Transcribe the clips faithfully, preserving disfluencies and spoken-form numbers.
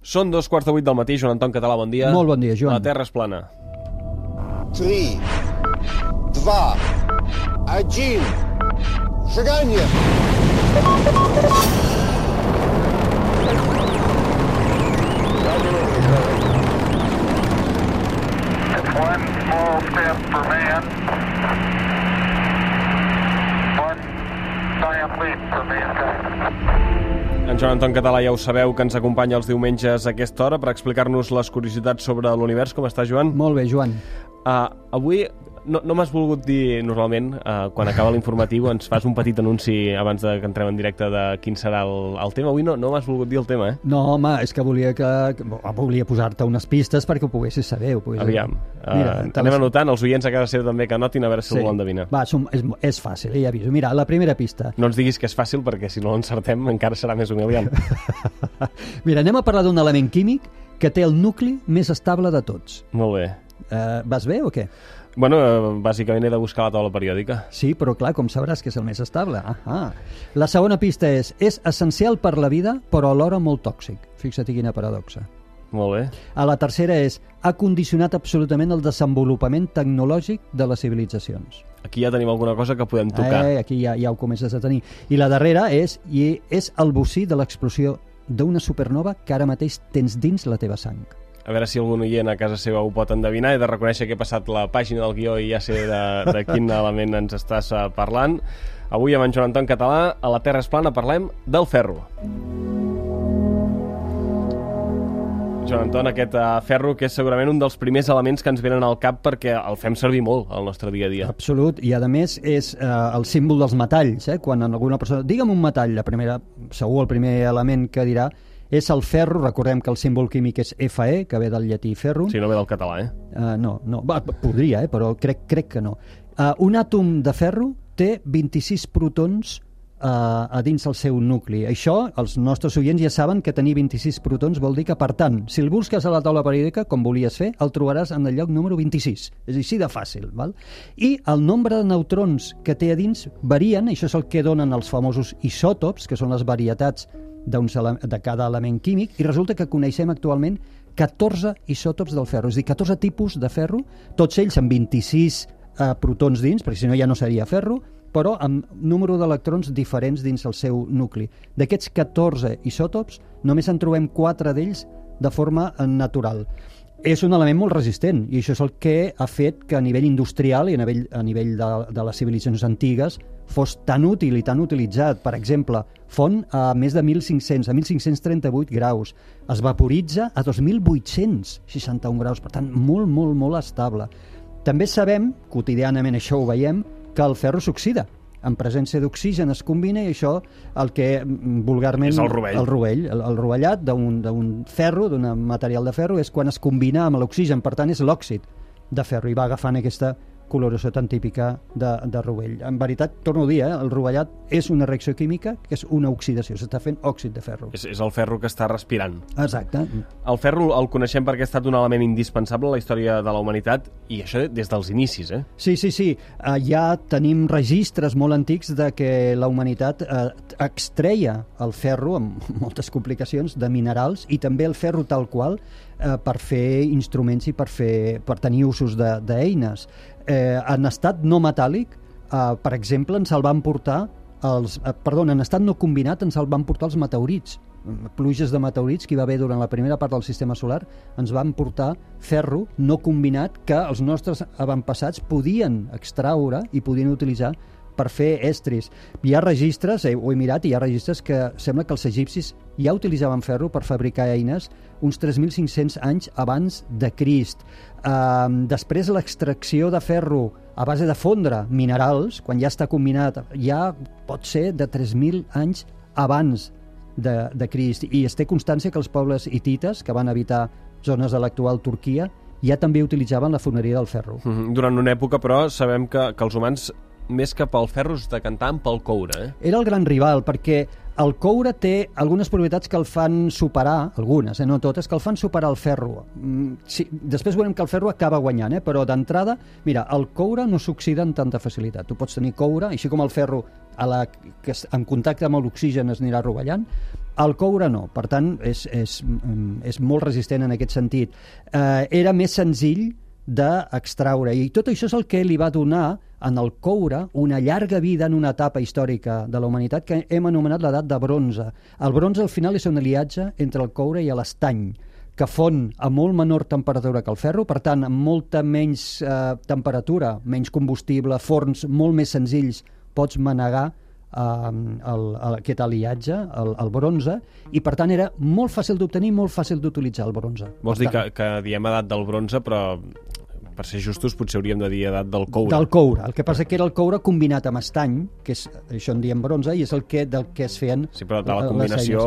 Són dos quarts de vuit del matí, Joan Anton Català, bon dia. Molt bon dia, Joan. La Terra és plana. Три, два, один, шагание! It's one small step for man, one giant leap for mankind. En Joan Anton Català ja ho sabeu, que ens acompanya els diumenges a aquesta hora per explicar-nos les curiositats sobre l'univers. Com està, Joan? Molt bé, Joan. Uh, avui no, no m'has volgut dir, normalment, uh, quan acaba l'informatiu ens fas un petit anunci abans de que entrem en directe de quin serà el, el tema. Avui no, no m'has volgut dir el tema, eh? No, home, és que volia que, que volia posar-te unes pistes perquè ho poguessis saber. Ho poguessis... Aviam, uh, Mira, anem les... anotant, els oients a casa seva també que anotin a veure si sí. Algú l'endevina. Va, som, és, és fàcil, ja aviso. Mira, la primera pista. No ens diguis que és fàcil perquè si no l'encertem encara serà més humiliant. Mira, anem a parlar d'un element químic que té el nucli més estable de tots. Molt bé. Uh, vas bé o què? Bueno, bàsicament he de buscar la taula periòdica. Sí, però clar, com sabràs que és el més estable. Ah, la segona pista és, és essencial per la vida, però alhora molt tòxic. Fixa't quina paradoxa. Molt bé. A la tercera és, ha condicionat absolutament el desenvolupament tecnològic de les civilitzacions. Aquí ja tenim alguna cosa que podem tocar. Eh, aquí ja, ja ho comences a tenir. I la darrera és, i és el bocí de l'explosió d'una supernova que ara mateix tens dins la teva sang. A veure si algun oient a casa seva ho pot endevinar. He de reconèixer que he passat la pàgina del guió i ja sé de, de quin element ens estàs parlant. Avui amb en Joan Anton Català, a la Terra és plana, parlem del ferro. Joan Anton, aquest uh, ferro que és segurament un dels primers elements que ens venen al cap perquè el fem servir molt al nostre dia a dia. Absolut, i a més és uh, el símbol dels metalls, eh? Quan alguna persona... Digue'm un metall, la primera, segur el primer element que dirà és el ferro. Recordem que el símbol químic és Fe, que ve del llatí ferro. Sí, no ve del català, eh? Uh, no, no, va, podria, eh? Però crec, crec que no. Uh, un àtom de ferro té vint-i-sis protons uh, a dins el seu nucli. Això, els nostres oients ja saben que tenir vint-i-sis protons vol dir que, per tant, si el busques a la taula periòdica, com volies fer, el trobaràs en el lloc número vint-i-sis. És així de fàcil, val? I el nombre de neutrons que té a dins varien, això és el que donen els famosos isòtops, que són les varietats de cada element químic, i resulta que coneixem actualment catorze isòtops del ferro, és a dir, catorze tipus de ferro, tots ells amb vint-i-sis eh, protons dins, perquè si no ja no seria ferro, però amb número d'electrons diferents dins el seu nucli. D'aquests catorze isòtops, només en trobem quatre d'ells de forma natural. És un element molt resistent, i això és el que ha fet que a nivell industrial i a nivell, a nivell de, de les civilitzacions antigues fos tan útil i tan utilitzat. Per exemple, fon a més de mil cinc-cents, a mil cinc-cents trenta-vuit graus. Es vaporitza a dos mil vuit-cents seixanta-un graus, per tant, molt, molt, molt estable. També sabem, quotidianament això ho veiem, que el ferro s'oxida. En presència d'oxigen es combina i això el que vulgarment... És el rovell. El rovell, el, el rovellat d'un ferro, d'un material de ferro, és quan es combina amb l'oxigen, per tant és l'òxid de ferro i va agafant aquesta coloració tan típica de, de rovell. En veritat, torno a dir, eh, el rovellat és una reacció química que és una oxidació, s'està fent òxid de ferro. És, és el ferro que està respirant. Exacte. El ferro el coneixem perquè ha estat un element indispensable a la història de la humanitat, i això des dels inicis, eh? Sí, sí, sí. Uh, ja tenim registres molt antics de que la humanitat uh, extreia el ferro, amb moltes complicacions, de minerals, i també el ferro tal qual, uh, per fer instruments i per, fer, per tenir usos d'eines. Eh, en estat no metàl·lic, eh, per exemple, ens el van portar els, eh, perdó, en estat no combinat ens el van portar els meteorits, pluges de meteorits que hi va haver durant la primera part del sistema solar, ens van portar ferro no combinat que els nostres avantpassats podien extraure i podien utilitzar per fer estris. Hi ha registres, eh, ho he mirat, i hi ha registres que sembla que els egipcis ja utilitzaven ferro per fabricar eines uns tres mil cinc-cents anys abans de Crist. Uh, després l'extracció de ferro a base de fondre minerals, quan ja està combinat, ja pot ser de tres mil anys abans de, de Crist. I es té constància que els pobles hitites, que van habitar zones de l'actual Turquia, ja també utilitzaven la foneria del ferro. Mm-hmm. Durant una època, però, sabem que, que els humans més que pel ferro es decantaven pel coure, eh? Era el gran rival, perquè el coure té algunes propietats que el fan superar, algunes, eh, no totes, que el fan superar el ferro. Mm, sí, després veurem que el ferro acaba guanyant, eh, però d'entrada, mira, el coure no s'oxida amb tanta facilitat. Tu pots tenir coure, així com el ferro a la, que en contacte amb l'oxigen es anirà rovellant, El coure no, per tant, és, és, és molt resistent en aquest sentit. Eh, era més senzill d'extraure, i tot això és el que li va donar en el coure una llarga vida en una etapa històrica de la humanitat que hem anomenat l'edat de bronze. El bronze al final és un aliatge entre el coure i l'estany, que fon a molt menor temperatura que el ferro, per tant, amb molta menys eh, temperatura, menys combustible, forns molt més senzills, pots manegar eh, el, el, aquest aliatge, el, el bronze, i per tant era molt fàcil d'obtenir, molt fàcil d'utilitzar el bronze. Vols dir que, que diem edat del bronze, però per ser justos potser hauríem de dir edat del coure. Del coure. El que passa que era el coure combinat amb estany, que és, això en diem bronze, i és el que, del que es feien... Sí, però de la combinació,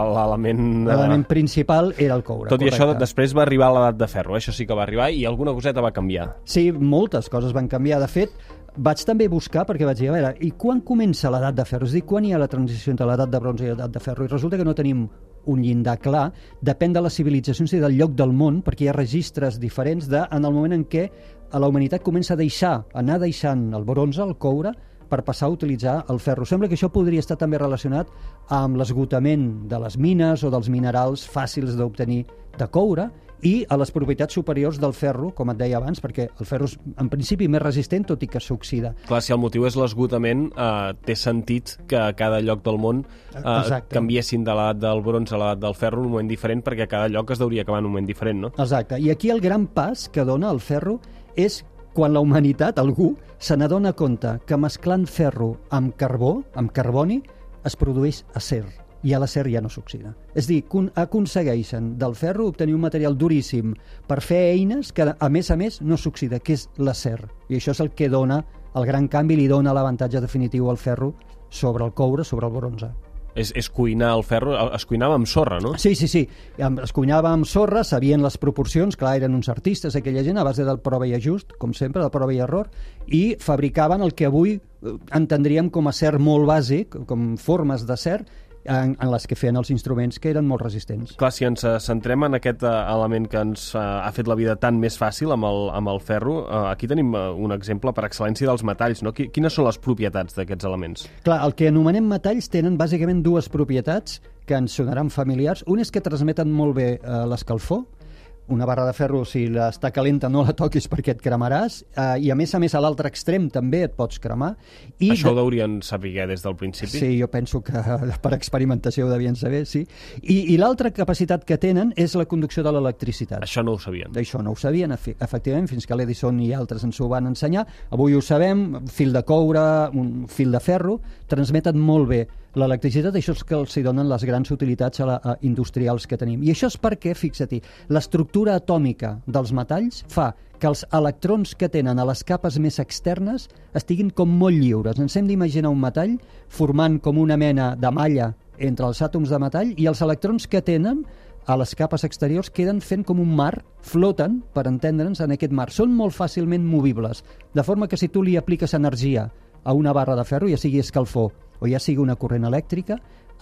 l'element... L'element principal era el coure. Tot correcte. I això, després va arribar l'edat de ferro, eh? Això sí que va arribar, i alguna coseta va canviar. Sí, moltes coses van canviar. De fet, vaig també buscar, perquè vaig dir, a veure, i quan comença l'edat de ferro? És a dir, quan hi ha la transició entre l'edat de bronze i l'edat de ferro? I resulta que no tenim un llindar clar, depèn de les civilitzacions i del lloc del món, perquè hi ha registres diferents de, en el moment en què la humanitat comença a deixar, anar deixant el bronze, el coure, per passar a utilitzar el ferro. Sembla que això podria estar també relacionat amb l'esgotament de les mines o dels minerals fàcils d'obtenir de coure, i a les propietats superiors del ferro, com et deia abans, perquè el ferro és en principi més resistent, tot i que s'oxida. Clar, si el motiu és l'esgotament, eh, té sentit que a cada lloc del món eh, canviessin de l'edat del bronze a l'edat del ferro en un moment diferent, perquè cada lloc es deuria acabar en un moment diferent, no? Exacte, i aquí el gran pas que dona el ferro és quan la humanitat, algú, se n'adona compte que mesclant ferro amb carbó, amb carboni, es produeix acer. I a l'acer ja no s'oxida. És dir, aconsegueixen del ferro obtenir un material duríssim per fer eines que, a més a més, no s'oxida, que és l'acer. I això és el que dona el gran canvi, li dona l'avantatge definitiu al ferro sobre el coure, sobre el bronze. És, és cuinar el ferro, es cuinava amb sorra, no? Sí, sí, sí. Es cuinava amb sorra, sabien les proporcions, clar, eren uns artistes, aquella gent, a base del prova i ajust, com sempre, del prova i error, i fabricaven el que avui entendríem com a acer molt bàsic, com formes d'acer, En, en les que feien els instruments que eren molt resistents. Clar, si ens centrem en aquest element que ens ha fet la vida tan més fàcil amb el, amb el ferro, aquí tenim un exemple per excel·lència dels metalls, no? Quines són les propietats d'aquests elements? Clar, el que anomenem metalls tenen bàsicament dues propietats que ens sonaran familiars. Un és que transmeten molt bé eh, l'escalfor. Una barra de ferro, si està calenta, no la toquis perquè et cremaràs, eh, i a més a més a l'altre extrem també et pots cremar. I Això de... ho deurien saber des del principi? Sí, jo penso que per experimentació ho devien saber, sí. I, i l'altra capacitat que tenen és la conducció de l'electricitat. Això no ho sabien. D'això no ho sabien, efectivament, fins que l'Edison i altres ens ho van ensenyar. Avui ho sabem, fil de coure, un fil de ferro, transmeten molt bé l'electricitat. Això és que els hi donen les grans utilitats a la, a industrials que tenim. I això és perquè, fixa-t'hi, l'estructura atòmica dels metalls fa que els electrons que tenen a les capes més externes estiguin com molt lliures. Ens hem d'imaginar un metall formant com una mena de malla entre els àtoms de metall, i els electrons que tenen a les capes exteriors queden fent com un mar, floten, per entendre'ns, en aquest mar. Són molt fàcilment movibles, de forma que si tu li apliques energia a una barra de ferro, ja sigui escalfor o ja sigui una corrent elèctrica,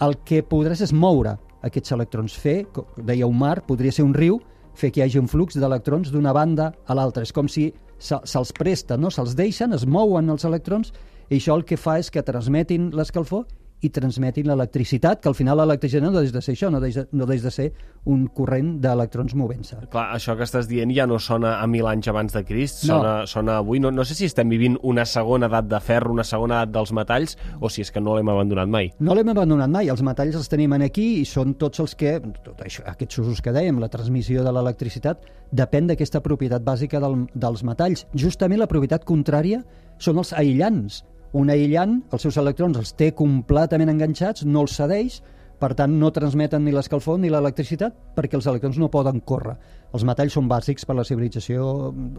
el que podràs és moure aquests electrons. Fer, deia un mar, podria ser un riu, fer que hi hagi un flux d'electrons d'una banda a l'altra. És com si se'ls presta, no? Se'ls deixen, es mouen els electrons, i això el que fa és que transmetin l'escalfor i transmetin l'electricitat, que al final l'electricitat no deix de ser això, no deix de, no deix de ser un corrent d'electrons movent-se. Clar, això que estàs dient ja no sona a mil anys abans de Crist, sona, no. sona avui. No, no sé si estem vivint una segona edat de ferro, una segona edat dels metalls, o si és que no l'hem abandonat mai. No l'hem abandonat mai, els metalls els tenim aquí i són tots els que, tot això, aquests usos que dèiem, la transmissió de l'electricitat, depèn d'aquesta propietat bàsica del, dels metalls. Justament la propietat contrària són els aïllants. Un aïllant, els seus electrons els té completament enganxats, no els cedeix, per tant no transmeten ni l'escalfor ni l'electricitat perquè els electrons no poden córrer. Els metalls són bàsics per la civilització,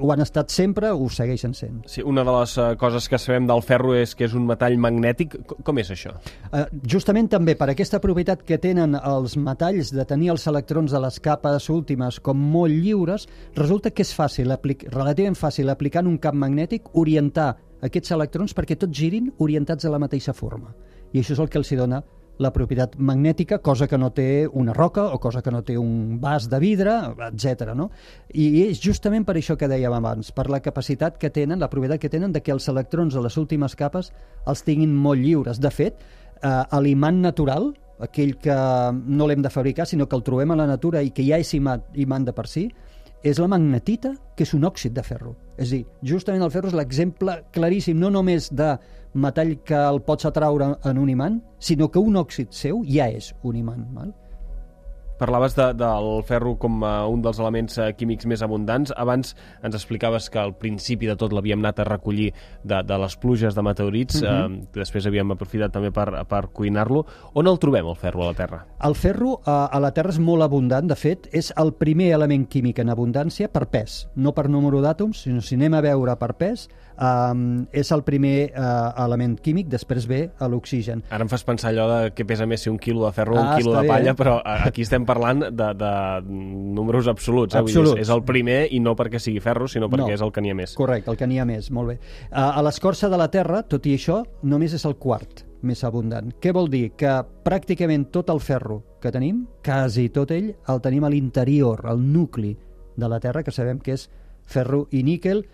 ho han estat sempre, ho segueixen sent. Sí, una de les uh, coses que sabem del ferro és que és un metall magnètic. Com és això? Uh, justament també per aquesta propietat que tenen els metalls de tenir els electrons de les capes últimes com molt lliures, resulta que és fàcil, relativament fàcil, aplicant un camp magnètic, orientar aquests electrons perquè tots girin orientats a la mateixa forma. I això és el que els dona la propietat magnètica, cosa que no té una roca o cosa que no té un vas de vidre, etcètera. No? I és justament per això que dèiem abans, per la capacitat que tenen, la propietat que tenen de que els electrons de les últimes capes els tinguin molt lliures. De fet, eh, a l'imant natural, aquell que no l'hem de fabricar, sinó que el trobem a la natura i que ja és imant, imant de per si, és la magnetita, que és un òxid de ferro. És a dir, justament el ferro és l'exemple claríssim, no només de metall que el pots atraure en un imant, sinó que un òxid seu ja és un imant. Val? Parlaves de, del ferro com uh, un dels elements uh, químics més abundants. Abans ens explicaves que al principi de tot l'havíem anat a recollir de, de les pluges de meteorits, uh-huh. uh, després havíem aprofitat també per, per cuinar-lo. On el trobem, el ferro, a la Terra? El ferro uh, a la Terra és molt abundant. De fet, és el primer element químic en abundància per pes, no per número d'àtoms, sinó si anem a veure per pes, um, és el primer uh, element químic, després ve l'oxigen. Ara em fas pensar allò de què pesa més ser un quilo de ferro o ah, un quilo de bé, palla, eh? però aquí estem parlant de, de números absoluts. Eh? absoluts. Vull dir, és el primer i no perquè sigui ferro, sinó perquè no. és el que n'hi ha més. Correcte, el que n'hi ha més, molt bé. Uh, a l'escorça de la Terra, tot i això, només és el quart més abundant. Què vol dir? Que pràcticament tot el ferro que tenim, quasi tot ell, el tenim a l'interior, al nucli de la Terra, que sabem que és ferro i níquel.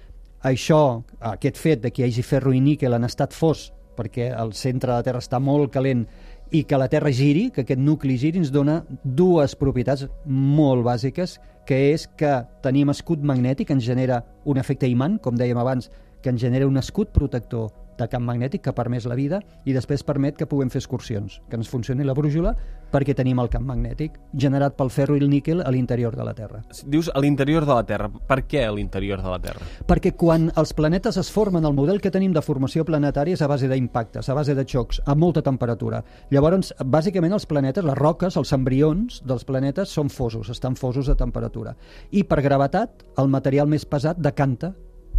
Això, aquest fet de que hi hagi ferro i níquel en estat fos, perquè el centre de la Terra està molt calent i que la Terra giri, que aquest nucli giri, ens dona dues propietats molt bàsiques, que és que tenim escut magnètic, ens genera un efecte imant, com dèiem abans, que ens genera un escut protector de camp magnètic que permet la vida i després permet que puguem fer excursions, que ens funcioni la brújula perquè tenim el camp magnètic generat pel ferro i el níquel a l'interior de la Terra. Dius a l'interior de la Terra. Per què a l'interior de la Terra? Perquè quan els planetes es formen, el model que tenim de formació planetària és a base d'impactes, a base de xocs, a molta temperatura. Llavors, bàsicament els planetes, les roques, els embrions dels planetes són fosos, estan fosos de temperatura. I per gravetat, el material més pesat decanta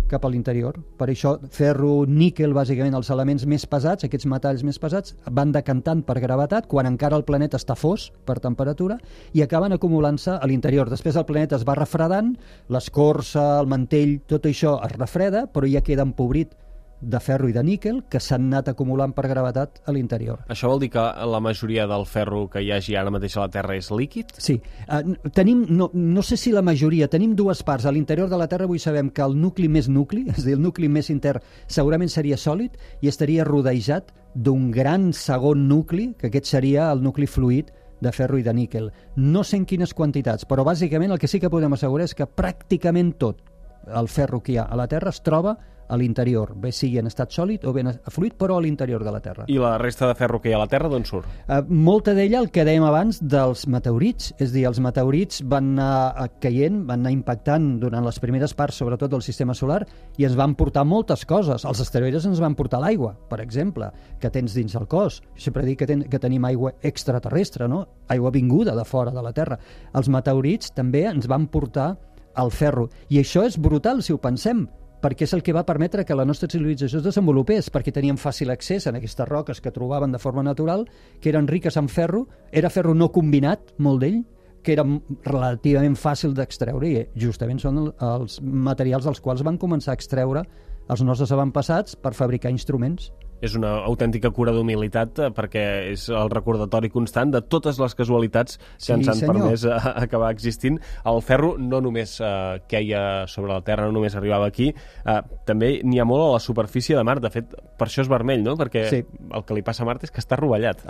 cap a l'interior. Per això ferro, níquel, bàsicament els elements més pesats, aquests metalls més pesats, van decantant per gravetat quan encara el planeta està fos per temperatura i acaben acumulant-se a l'interior. Després el planeta es va refredant, l'escorça, el mantell, tot això es refreda, però ja queda empobrit de ferro i de níquel que s'han anat acumulant per gravetat a l'interior. Això vol dir que la majoria del ferro que hi hagi ara mateix a la Terra és líquid? Sí. Uh, tenim, no, no sé si la majoria, tenim dues parts. A l'interior de la Terra avui sabem que el nucli més nucli, és a dir, el nucli més intern, segurament seria sòlid i estaria rodejat d'un gran segon nucli, que aquest seria el nucli fluid de ferro i de níquel. No sé en quines quantitats, però bàsicament el que sí que podem assegurar és que pràcticament tot el ferro que hi ha a la Terra es troba a l'interior, bé sigui en estat sòlid o ben fluid, però a l'interior de la Terra. I la resta de ferro que hi ha a la Terra, d'on surt? Uh, molta d'ella, el que dèiem abans, dels meteorits. És a dir, els meteorits van anar caient, van anar impactant durant les primeres parts, sobretot del sistema solar, i ens van portar moltes coses. Els asteroides ens van portar l'aigua, per exemple, que tens dins el cos. Jo sempre dic que, ten, que tenim aigua extraterrestre, no? Aigua vinguda de fora de la Terra. Els meteorits també ens van portar el ferro. I això és brutal, si ho pensem, perquè és el que va permetre que la nostra civilització es desenvolupés, perquè teníem fàcil accés a aquestes roques que trobaven de forma natural, que eren riques en ferro, era ferro no combinat, molt d'ell, que era relativament fàcil d'extreure, i justament són els materials dels quals van començar a extreure els nostres avantpassats per fabricar instruments. És una autèntica cura d'humilitat perquè és el recordatori constant de totes les casualitats que sí, ens han senyor. permès a, a acabar existint. El ferro no només eh, queia sobre la Terra, no només arribava aquí, eh, també n'hi ha molt a la superfície de Mart. De fet, per això és vermell, no? Perquè sí. El que li passa a Mart és que està rovellat.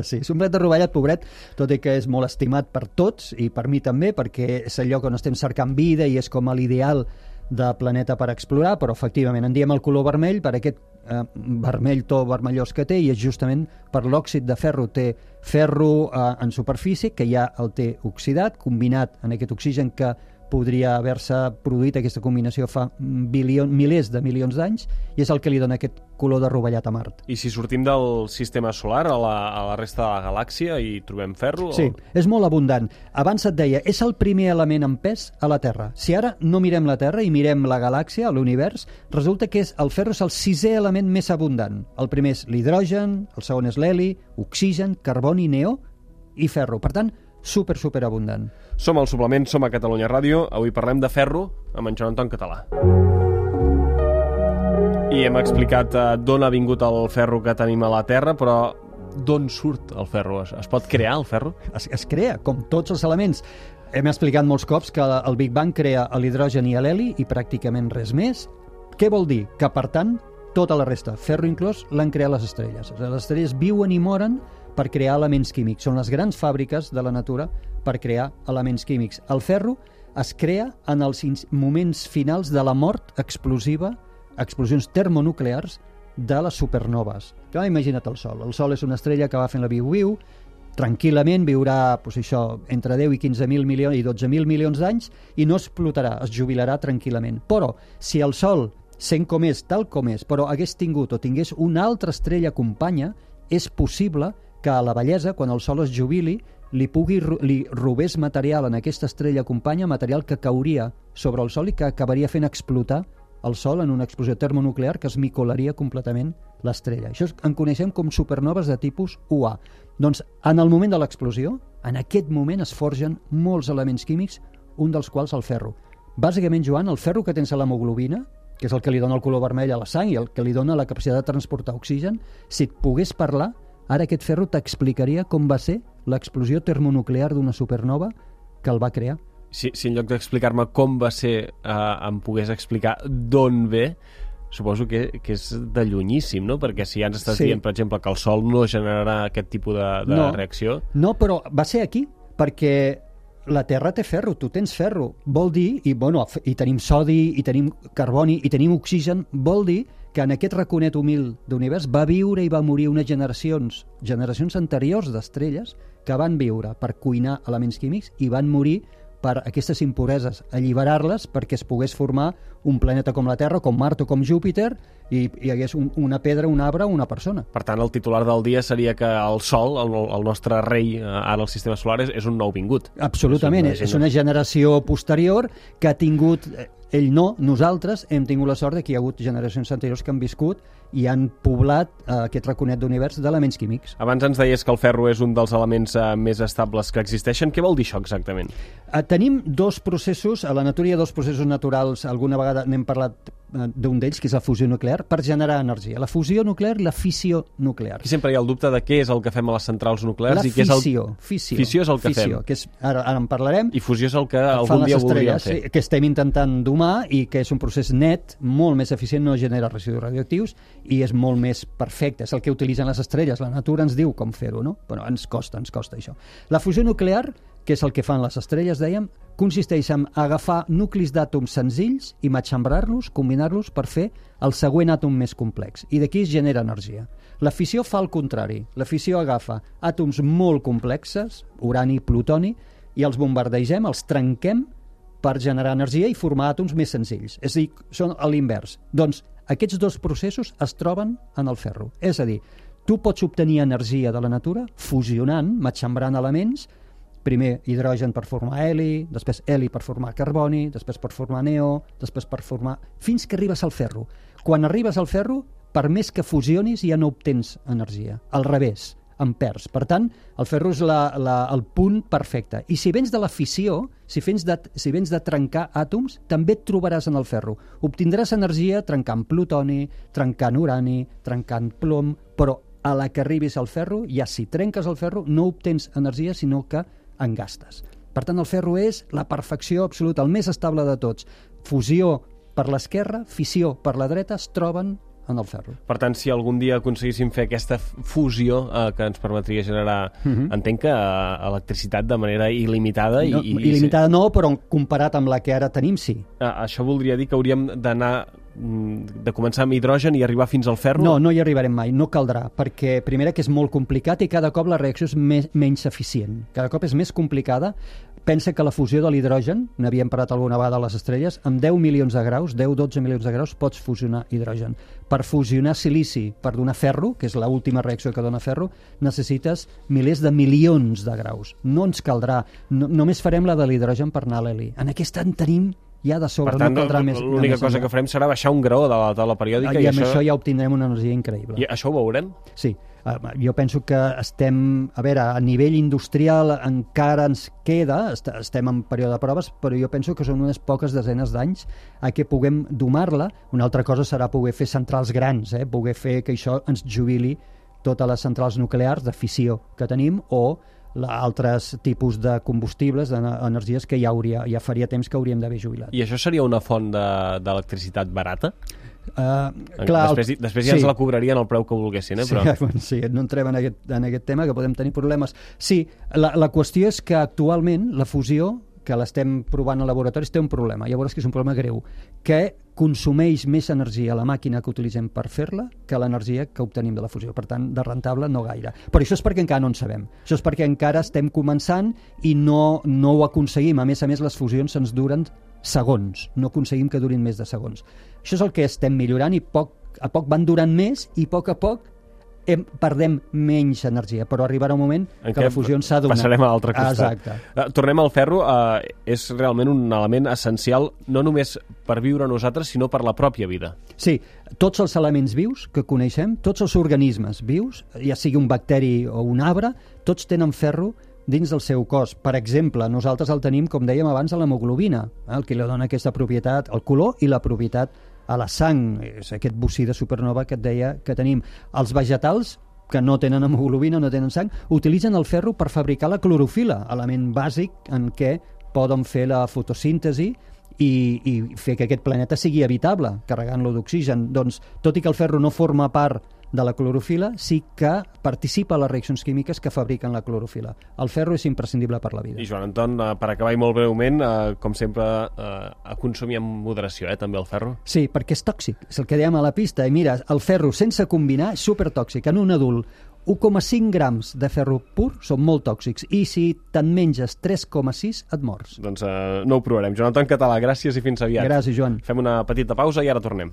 Sí, és un plet de rovellat, pobret, tot i que és molt estimat per tots i per mi també, perquè és el lloc on estem cercant vida i és com a l'ideal de planeta per explorar, però efectivament en diem el color vermell per aquest eh, vermell to vermellós que té, i és justament per l'òxid de ferro. Té ferro eh, en superfície, que ja el té oxidat, combinat en aquest oxigen que podria haver-se produït aquesta combinació fa bilion, milers de milions d'anys, i és el que li dona aquest color de rovellat a Mart. I si sortim del sistema solar a la, a la resta de la galàxia i trobem ferro? Sí, o... és molt abundant. Abans et deia, és el primer element en pes a la Terra. Si ara no mirem la Terra i mirem la galàxia, l'univers, resulta que és, el ferro és el sisè element més abundant. El primer és l'hidrogen, el segon és l'heli, oxigen, carboni, neó i ferro. Per tant, super, super abundant. Som al Suplement, som a Catalunya Ràdio. Avui parlem de ferro amb en Joan Anton Català. I hem explicat eh, d'on ha vingut el ferro que tenim a la Terra, però d'on surt el ferro? Es, es pot crear el ferro? Es, es crea, com tots els elements. Hem explicat molts cops que el Big Bang crea l'hidrogen i l'heli i pràcticament res més. Què vol dir? Que, per tant, tota la resta, ferro inclòs, l'han creat les estrelles. Les estrelles viuen i moren per crear elements químics. Són les grans fàbriques de la natura per crear elements químics. El ferro es crea en els moments finals de la mort explosiva, explosions termonuclears de les supernoves. Ja, imagina't el Sol. El Sol és una estrella que va fent la viu-viu, tranquil·lament viurà doncs, això, entre deu i quinze mil milions i dotze mil milions d'anys i no explotarà, es jubilarà tranquil·lament. Però si el Sol, sent com és, tal com és, però hagués tingut o tingués una altra estrella companya, és possible que a la vellesa, quan el Sol es jubili, li pugui li robés material en aquesta estrella companya, material que cauria sobre el Sol i que acabaria fent explotar el Sol en una explosió termonuclear que es micolaria completament l'estrella. Això en coneixem com supernoves de tipus U A. Doncs en el moment de l'explosió, en aquest moment es forgen molts elements químics, un dels quals el ferro. Bàsicament, Joan, el ferro que tens a l'hemoglobina, que és el que li dona el color vermell a la sang i el que li dona la capacitat de transportar oxigen, si et pogués parlar, ara aquest ferro t'explicaria com va ser l'explosió termonuclear d'una supernova que el va crear. Si, si en lloc d'explicar-me com va ser eh, em pogués explicar d'on ve, suposo que, que és de llunyíssim, no? Perquè si ja ens estàs sí. dient, per exemple, que el Sol no generarà aquest tipus de, de no, reacció... No, però va ser aquí, perquè la Terra té ferro, tu tens ferro. Vol dir, i, bueno, i tenim sodi, i tenim carboni, i tenim oxigen, vol dir que en aquest raconet humil d'univers va viure i va morir unes generacions, generacions anteriors d'estrelles que van viure per cuinar elements químics i van morir per aquestes impureses, alliberar-les perquè es pogués formar un planeta com la Terra, com Mart o com Júpiter, i hi hagués un, una pedra, un arbre o una persona. Per tant, el titular del dia seria que el Sol, el, el nostre rei ara al sistema solar, és, és un nou vingut. Absolutament, és una, és una generació posterior que ha tingut... Ell no, nosaltres hem tingut la sort que hi ha hagut generacions anteriors que han viscut i han poblat eh, aquest raconet d'univers d'elements químics. Abans ens deies que el ferro és un dels elements eh, més estables que existeixen. Què vol dir això exactament? Eh, tenim dos processos, a la natura hi ha dos processos naturals, alguna vegada n'hem parlat eh, d'un d'ells, que és la fusió nuclear, per generar energia. La fusió nuclear i la fissió nuclear. Aquí sempre hi ha el dubte de què és el que fem a les centrals nuclears la i què és el... fissió. Fissió, fissió és el que fissió, fem. Que és, ara, ara en parlarem. I fusió és el que algun dia voldríem fer. Sí, que estem intentant domar i que és un procés net, molt més eficient, no genera residus radioactius i és molt més perfecte. És el que utilitzen les estrelles. La natura ens diu com fer-ho, no? Però ens costa, ens costa això. La fusió nuclear, que és el que fan les estrelles, dèiem, consisteix en agafar nuclis d'àtoms senzills i matxembrar-los, combinar-los per fer el següent àtom més complex. I d'aquí es genera energia. La fissió fa el contrari. La fissió agafa àtoms molt complexes, urani, plutoni, i els bombardegem, els trenquem per generar energia i formar àtoms més senzills. És a dir, són a l'invers. Doncs aquests dos processos es troben en el ferro. És a dir, tu pots obtenir energia de la natura fusionant, matxembrant elements, primer hidrogen per formar heli, després heli per formar carboni, després per formar neó, després per formar... fins que arribes al ferro. Quan arribes al ferro, per més que fusionis ja no obtens energia. Al revés, en perds. Per tant, el ferro és la, la, el punt perfecte. I si vens de la fissió, si vens de, si vens de trencar àtoms, també et trobaràs en el ferro. Obtindràs energia trencant plutoni, trencant urani, trencant plom, però a la que arribis al ferro, ja si trenques el ferro, no obtens energia, sinó que en gastes. Per tant, el ferro és la perfecció absoluta, el més estable de tots. Fusió per l'esquerra, fissió per la dreta, es troben en el ferro. Per tant, si algun dia aconseguíssim fer aquesta fusió eh, que ens permetria generar, uh-huh. entenc que eh, electricitat de manera il·limitada... No, i, i, il·limitada no, però comparat amb la que ara tenim, sí. Eh, això voldria dir que hauríem d'anar de començar amb hidrogen i arribar fins al ferro? No, no hi arribarem mai, no caldrà, perquè primera que és molt complicat i cada cop la reacció és més, menys eficient. Cada cop és més complicada. Pensa que la fusió de l'hidrogen, n'havíem parlat alguna vegada a les estrelles, amb deu milions de graus, deu dotze milions de graus, pots fusionar hidrogen. Per fusionar silici, per donar ferro, que és l'última reacció que dona ferro, necessites milers de milions de graus. No ens caldrà, no, només farem la de l'hidrogen per anar a l'heli. En aquesta en tenim ja de sobre, per tant, no caldrà més. L'única cosa que farem serà baixar un graó de la taula periòdica. I, I amb això... això ja obtindrem una energia increïble. I això ho veurem? Sí. Jo penso que estem, a veure, a nivell industrial encara ens queda, estem en període de proves, però jo penso que són unes poques desenes d'anys a què puguem domar-la. Una altra cosa serà poder fer centrals grans, eh? Poder fer que això ens jubili totes les centrals nuclears de fissió que tenim o altres tipus de combustibles, d'energies que ja, hauria, ja faria temps que hauríem d'haver jubilat. I això seria una font d'electricitat de, barata? Uh, clar, després el... després ja sí. ens la cobrarien el preu que volguessin, eh? Però... Sí, bueno, sí, no entrem en aquest, en aquest tema, que podem tenir problemes. Sí, la, la qüestió és que actualment la fusió, que l'estem provant a laboratoris, té un problema. Llavors que és un problema greu, que consumeix més energia la màquina que utilitzem per fer-la que l'energia que obtenim de la fusió. Per tant, de rentable no gaire. Però això és perquè encara no en sabem. Això és perquè encara estem començant i no, no ho aconseguim. A més a més, les fusions ens duren segons. No aconseguim que durin més de segons. Això és el que estem millorant i poc a poc van durant més i a poc a poc hem, perdem menys energia, però arribarà un moment en que la fusió s'ha donat. Passarem a l'altre costat. Exacte. Uh, tornem al ferro. Uh, és realment un element essencial no només per viure nosaltres, sinó per la pròpia vida. Sí, tots els elements vius que coneixem, tots els organismes vius, ja sigui un bacteri o un arbre, tots tenen ferro dins del seu cos. Per exemple, nosaltres el tenim, com dèiem abans, a l'hemoglobina, eh, el que li dona aquesta propietat, el color i la propietat a la sang, és aquest bocí de supernova que et deia que tenim. Els vegetals, que no tenen hemoglobina, no tenen sang, utilitzen el ferro per fabricar la clorofila, element bàsic en què poden fer la fotosíntesi i, i fer que aquest planeta sigui habitable, carregant-lo d'oxigen. Doncs, tot i que el ferro no forma part de la clorofila, sí que participa a les reaccions químiques que fabriquen la clorofila. El ferro és imprescindible per la vida. I Joan Anton, per acabar i molt breument, eh, com sempre, eh, a consumir amb moderació, eh, també el ferro? Sí, perquè és tòxic, és el que dèiem a la pista. I mira, el ferro sense combinar és supertòxic. En un adult, u coma cinc grams de ferro pur són molt tòxics i si te'n menges tres coma sis et mors. Doncs eh, no ho provarem. Joan Anton Català, gràcies i fins aviat. Gràcies, Joan. Fem una petita pausa i ara tornem.